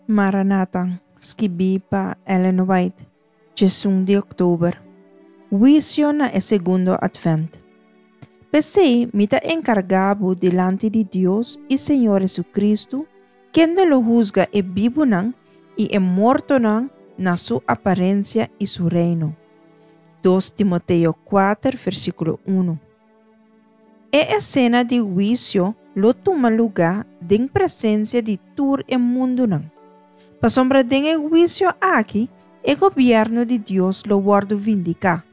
Maranata, skibí pa Ellen White, 11 di òktober. Huisio na e segundo Atvènt. P'esei mi ta enkargá bo dilanti di Dios i Señor Hesukristu, kende lo husga e bibunan i e mortonan na su aparensia i su Reino. Dos Timoteo kuater, versíkulo unu. E esena di huisio lo tuma lugá den presensia di tur e mundunan. Pasobra den e huisio aki e gobièrnu di Dios lo wòrdu vindiká,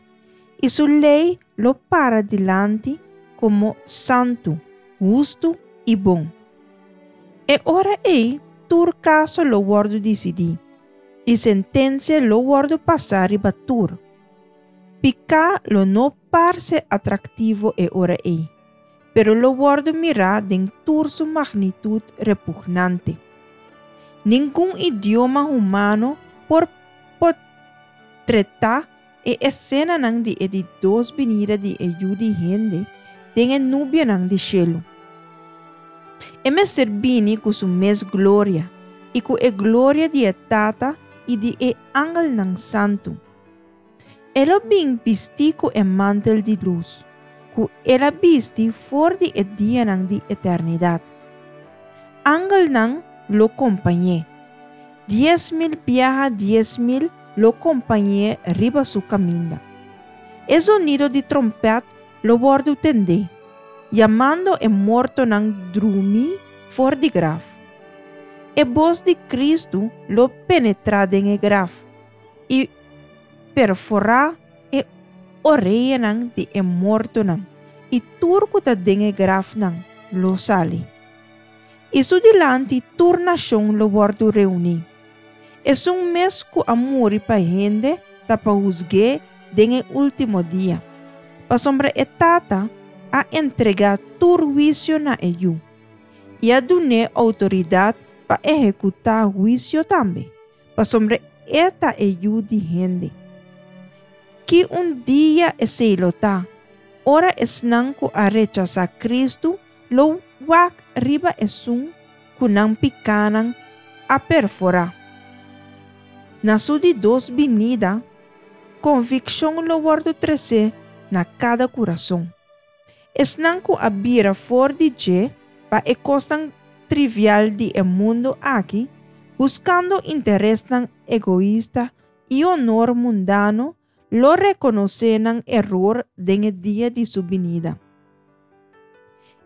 i su lei lo para dilanti komo santu, hustu i bon. E ora ei tur kaso lo wòrdu disidí, i sentensia lo wòrdu pasá riba tur. Piká lo no parse atraktivo e ora ei, pero lo wòrdu mirá den tur su magnitut repugnante. Ningun idioma humano por potretá e esenanan di e di dos binida di e Yu di hende den e nubianan di shelu. E mester bini ku su mes gloria i ku e gloria di e Tata i di e angelnan santu. E lo bin bistí ku e mantel di lus, ku el a bisti for di e dianan di eternidat. Angelnan lo kompañ'é. 10,000 biaha 10,000 lo kompañ'é riba su kaminda. E zonido di trompèt lo wòrdu tendé, yamando e mortonan drumí for di graf. E bos di Kristu lo penetrá den e graf. i perforá e oreanan di e mortonan, i tur ku ta den e grafnan lo sali. I su dilanti tur nashon lo wòrdu reuní. Esun mes ku a muri pa hende ta pa husg'é den e último dia, pasobra e Tata a entregá tur huisio na e Yu, i a dun'é outoridat pa ehekutá huisio tambe. Pasobra e ta e Yu di hende. Ki un dia esei lo ta, ora esnan ku a rechasá Kristu lo wak riba esun ku nan pikánan a perforá! Na su di dos binida, konvikshon lo wòrdu tresé na kada kurason. Esnan ku a bira for di dje pa e kosnan trivial di e mundu aki, buskando interesnan egoista i honor mundano, lo rekonosé nan eror den e dia di su binida.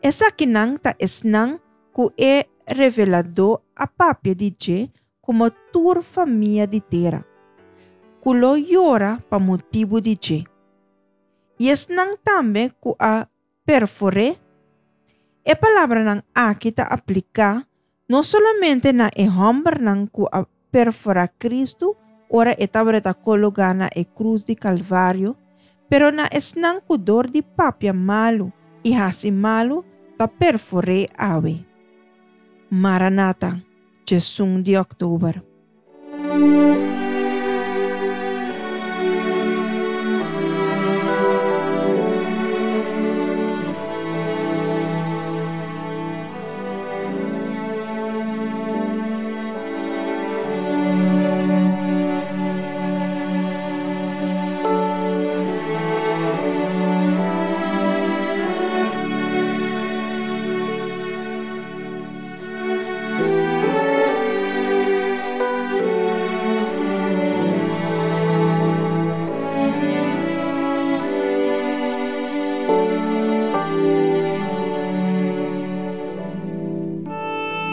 Esakinan ta esnan ku e Reveladó a papia di dje komo tur famia di tera, ku lo yora pa motibu di dje. I esnan tambe ku a perfor'é. E palabranan aki ta apliká no solamente na e hòmbernan ku a perforá Kristu ora e tabata kologá na e krus di Kalvario, pero na esnan ku dor di papia malu i hasi malu ta perfor'é awe. Maranata, 11 di òktober.